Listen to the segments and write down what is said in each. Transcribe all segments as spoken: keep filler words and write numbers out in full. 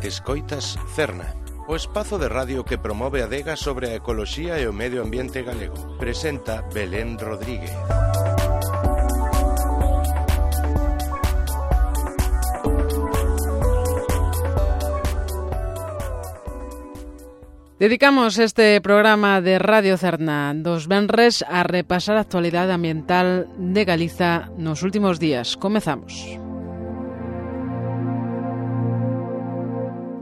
Escoitas Cerna, o espazo de radio que promove a adega sobre a ecoloxía e o medio ambiente galego. Presenta Belén Rodríguez. Dedicamos este programa de Radio Cerna dos venres a repasar a actualidade ambiental de Galiza nos últimos días. Comezamos.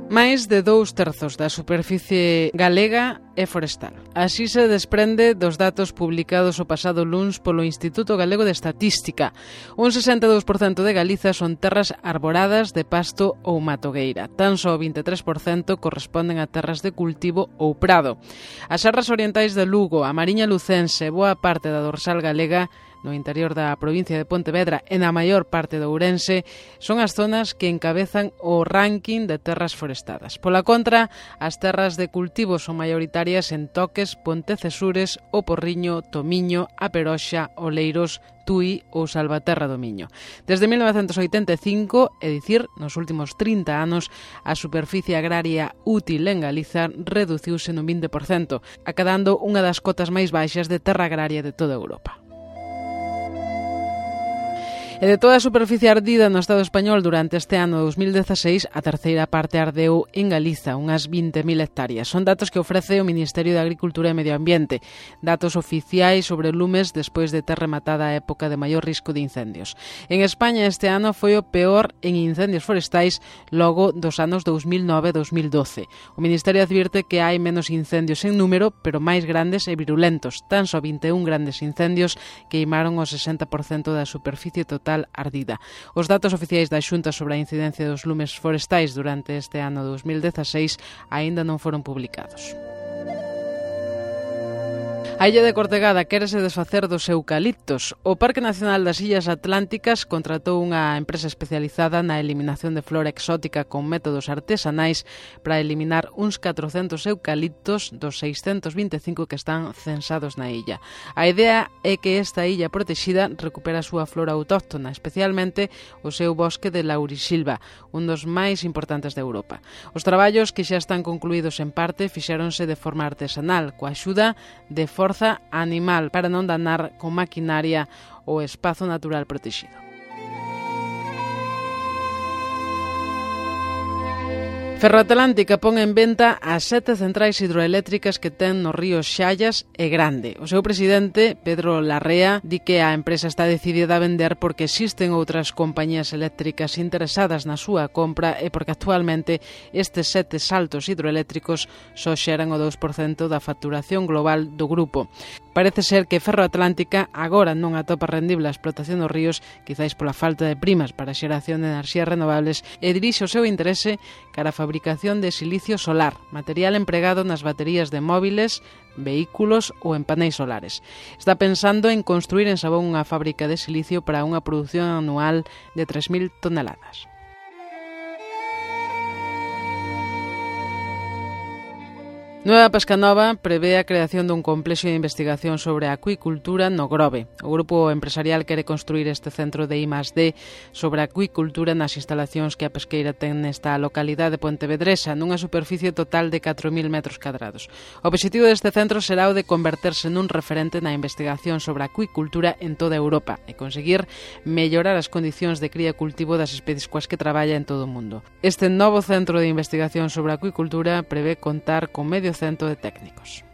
Máis de dous terzos da superficie galega é forestal. Así se desprende dos datos publicados o pasado luns polo Instituto Galego de Estatística. Un sesenta e dous por cento de Galiza son terras arboradas de pasto ou matogueira. Tan só o vinte e tres por cento corresponden a terras de cultivo ou prado. As serras orientais de Lugo, a Mariña Lucense, boa parte da dorsal galega, no interior da provincia de Pontevedra e na maior parte de Ourense, son as zonas que encabezan o ranking de terras forestadas. Pola contra, as terras de cultivo son maioritarias en Toques, Pontecesures, O Porriño, Tomiño, A Peroxa, Oleiros, Tui ou Salvaterra do Miño. Desde mil novecentos oitenta e cinco, é dicir, nos últimos trinta anos, a superficie agraria útil en Galiza reduciuse nun vinte por cento, acadando unha das cotas máis baixas de terra agraria de toda Europa. E de toda a superficie ardida no Estado español durante este ano dos mil dezaseis, a terceira parte ardeu en Galiza, unhas vinte mil hectáreas. Son datos que ofrece o Ministerio de Agricultura e Medio Ambiente, datos oficiais sobre lumes despois de ter rematada a época de maior risco de incendios. En España este ano foi o peor en incendios forestais logo dos anos dos mil nove e dos mil doce. O Ministerio advirte que hai menos incendios en número, pero máis grandes e virulentos. Tan só vinte e un grandes incendios queimaron o sesenta por cento da superficie total ardida. Os datos oficiais da Xunta sobre a incidencia dos lumes forestais durante este ano dos mil dezaseis aínda non foron publicados. A illa de Cortegada quérese desfacer dos eucaliptos. O Parque Nacional das Illas Atlánticas contratou unha empresa especializada na eliminación de flora exótica con métodos artesanais para eliminar uns catrocentos eucaliptos dos seiscentos vinte e cinco que están censados na illa. A idea é que esta illa protexida recupera a súa flora autóctona, especialmente o seu bosque de laurisilva, un dos máis importantes de Europa. Os traballos, que xa están concluídos en parte, fixéronse de forma artesanal, coa axuda de forza animal para non danar con maquinaria o espazo natural protegido. Ferroatlántica pon en venta as sete centrais hidroeléctricas que ten nos ríos Xallas e Grande. O seu presidente, Pedro Larrea, di que a empresa está decidida a vender porque existen outras compañías eléctricas interesadas na súa compra e porque actualmente estes sete saltos hidroeléctricos só xeran o dous por cento da facturación global do grupo. Parece ser que Ferroatlántica agora non atopa rendible a explotación dos ríos, quizáis pola falta de primas para a xeración de enerxías renovables, e dirixe o seu interese cara a fabricación de silicio solar, material empregado nas baterías de móviles, vehículos ou en paneis solares. Está pensando en construir en Sabón unha fábrica de silicio para unha produción anual de tres mil toneladas. Nueva Pescanova prevé a creación dun complexo de investigación sobre a acuicultura no Grove. O grupo empresarial quere construir este centro de I más D sobre a acuicultura nas instalacións que a pesqueira ten nesta localidade pontevedresa, nunha superficie total de catro mil metros cadrados. O obxectivo deste centro será o de converterse nun referente na investigación sobre a acuicultura en toda Europa e conseguir mellorar as condicións de cría e cultivo das especies coas que traballa en todo o mundo. Este novo centro de investigación sobre a acuicultura prevé contar con medio cento de técnicos.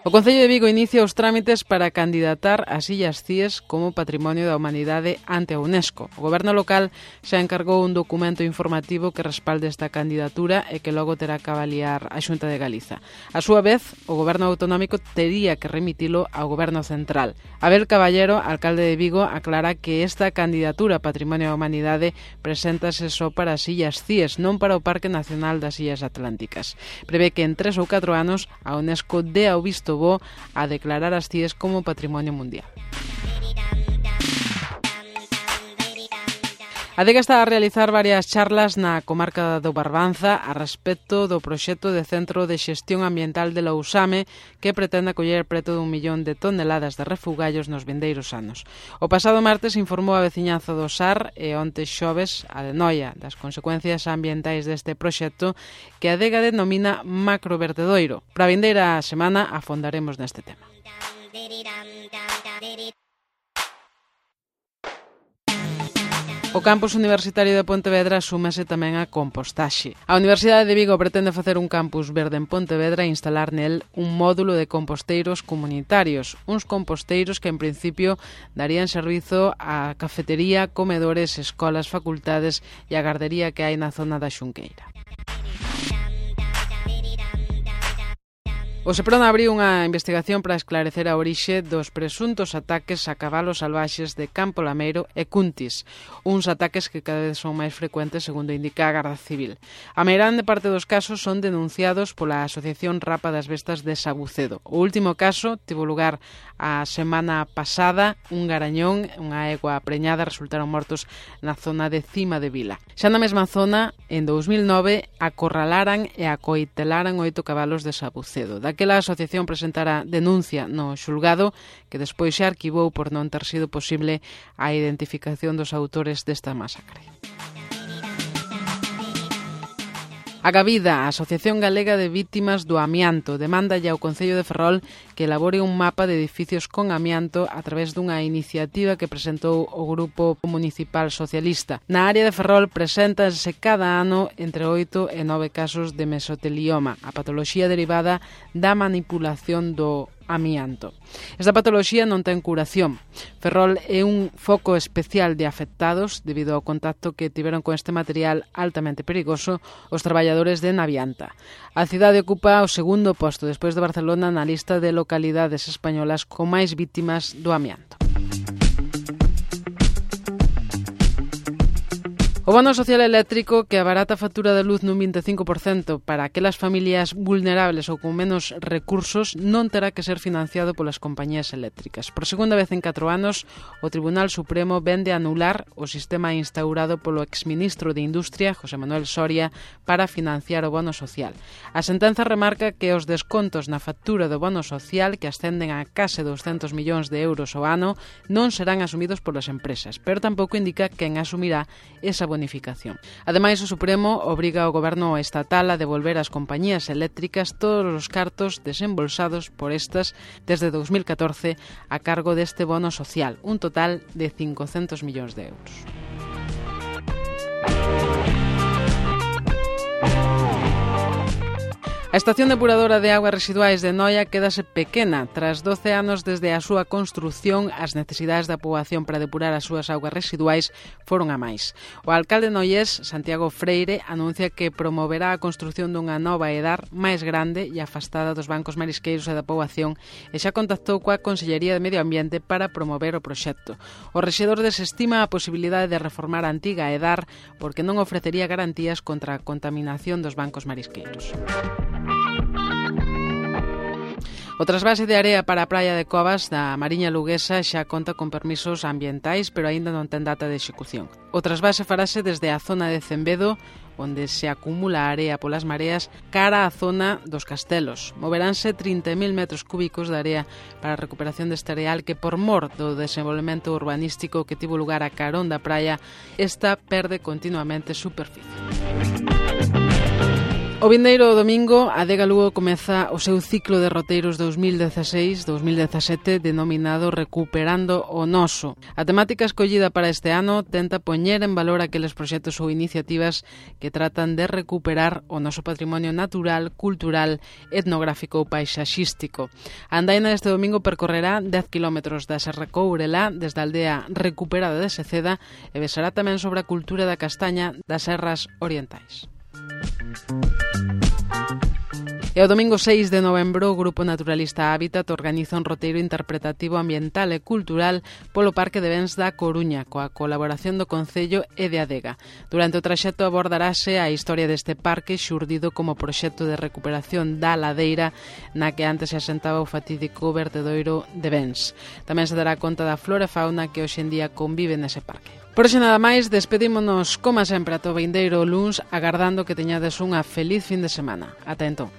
O Concello de Vigo inicia os trámites para candidatar as Illas Cíes como Patrimonio da Humanidade ante a UNESCO. O Goberno local xa encargou un documento informativo que respalde esta candidatura e que logo terá que avaliar a Xunta de Galiza. A súa vez, o Goberno autonómico tería que remitilo ao Goberno central. Abel Caballero, alcalde de Vigo, aclara que esta candidatura a Patrimonio da Humanidade preséntase só para as Illas Cíes, non para o Parque Nacional das Illas Atlánticas. Prevé que en tres ou catro anos a UNESCO dea o visto bo a declarar as Cíes como Patrimonio Mundial. Adega está a realizar varias charlas na comarca do Barbanza a respecto do proxecto de Centro de Xestión Ambiental de Lousame que pretende acoller preto dun millón de toneladas de refugallos nos vindeiros anos. O pasado martes informou a veciñanza do Sar e onte xoves a de Noia das consecuencias ambientais deste proxecto que a adega denomina macrovertedoiro. Para a vindeira semana afondaremos neste tema. O campus universitario de Pontevedra súmase tamén a compostaxe. A Universidade de Vigo pretende facer un campus verde en Pontevedra e instalar nel un módulo de composteiros comunitarios, uns composteiros que en principio darían servizo á cafetería, comedores, escolas, facultades e a gardería que hai na zona da Xunqueira. O Seprona abriu unha investigación para esclarecer a orixe dos presuntos ataques a cabalos salvaxes de Campo Lameiro e Cuntis, uns ataques que cada vez son máis frecuentes segundo indica a Garda Civil. A meirande parte dos casos son denunciados pola Asociación Rapa das Bestas de Sabucedo. O último caso tivo lugar a semana pasada, un garañón, unha egua preñada resultaron mortos na zona de Cima de Vila. Xa na mesma zona, en dous mil nove, acorralaran e acoitelaran oito cabalos de Sabucedo. Daquela a asociación presentara denuncia no xulgado que despois se arquivou por non ter sido posible a identificación dos autores desta masacre. A Gavida, a Asociación Galega de Vítimas do Amianto, demanda ao Concello de Ferrol que elabore un mapa de edificios con amianto a través dunha iniciativa que presentou o Grupo Municipal Socialista. Na área de Ferrol preséntanse cada ano entre oito e nove casos de mesotelioma, a patoloxía derivada da manipulación do amianto. Esta patoloxía non ten curación. Ferrol é un foco especial de afectados debido ao contacto que tiveron con este material altamente perigoso os traballadores de Navianta. A cidade ocupa o segundo posto despois de Barcelona na lista de localidades españolas con máis vítimas do amianto. O bono social eléctrico que abarata a factura de luz nun vinte e cinco por cento para aquelas familias vulnerables ou con menos recursos non terá que ser financiado polas compañías eléctricas. Por segunda vez en catro anos, o Tribunal Supremo vende a anular o sistema instaurado polo exministro de Industria, José Manuel Soria, para financiar o bono social. A sentenza remarca que os descontos na factura do bono social, que ascenden a case douscentos millóns de euros ao ano, non serán asumidos polas empresas, pero tampouco indica quen asumirá esa bonificación. Ademais, o Supremo obriga ao goberno estatal a devolver ás compañías eléctricas todos os cartos desembolsados por estas desde dous mil catorce a cargo deste bono social, un total de cincocentos millóns de euros. A estación depuradora de augas residuais de Noia quédase pequena. Tras doce anos desde a súa construción, as necesidades da poboación para depurar as súas augas residuais foron a máis. O alcalde noiés, Santiago Freire, anuncia que promoverá a construción dunha nova edar máis grande e afastada dos bancos marisqueiros e da poboación e xa contactou coa Consellería de Medio Ambiente para promover o proxecto. O rexedor desestima a posibilidade de reformar a antiga edar porque non ofrecería garantías contra a contaminación dos bancos marisqueiros. O trasvase de area para a praia de Covas da Mariña Luguesa xa conta con permisos ambientais, pero aínda non ten data de execución. O trasvase farase desde a zona de Cembedo, onde se acumula a area polas mareas, cara á zona dos Castelos. Moveránse trinta mil metros cúbicos de area para a recuperación deste areal que, por mor do desenvolvemento urbanístico que tivo lugar a carón da praia, esta perde continuamente superficie. O vindeiro domingo, a Adega Lugo comeza o seu ciclo de roteiros dous mil dezaseis dous mil dezasete denominado Recuperando o Noso. A temática escollida para este ano tenta poñer en valor aqueles proxectos ou iniciativas que tratan de recuperar o noso patrimonio natural, cultural, etnográfico ou paisaxístico. A andaina deste domingo percorrerá dez kilómetros da Serra Courelá desde a aldea recuperada de Seceda e besará tamén sobre a cultura da castaña das serras orientais. E o domingo seis de novembro o Grupo Naturalista Hábitat organiza un roteiro interpretativo ambiental e cultural polo Parque de Bens da Coruña, coa colaboración do Concello e de Adega. Durante o traxecto abordarase a historia deste parque xurdido como proxecto de recuperación da ladeira na que antes se asentaba o fatídico vertedoiro de Bens. Tamén se dará conta da flora e fauna que hoxe en día convive nese parque. Por hoxe nada máis, despedímonos como sempre ata o vindeiro luns, agardando que teñades unha feliz fin de semana. Ata entón.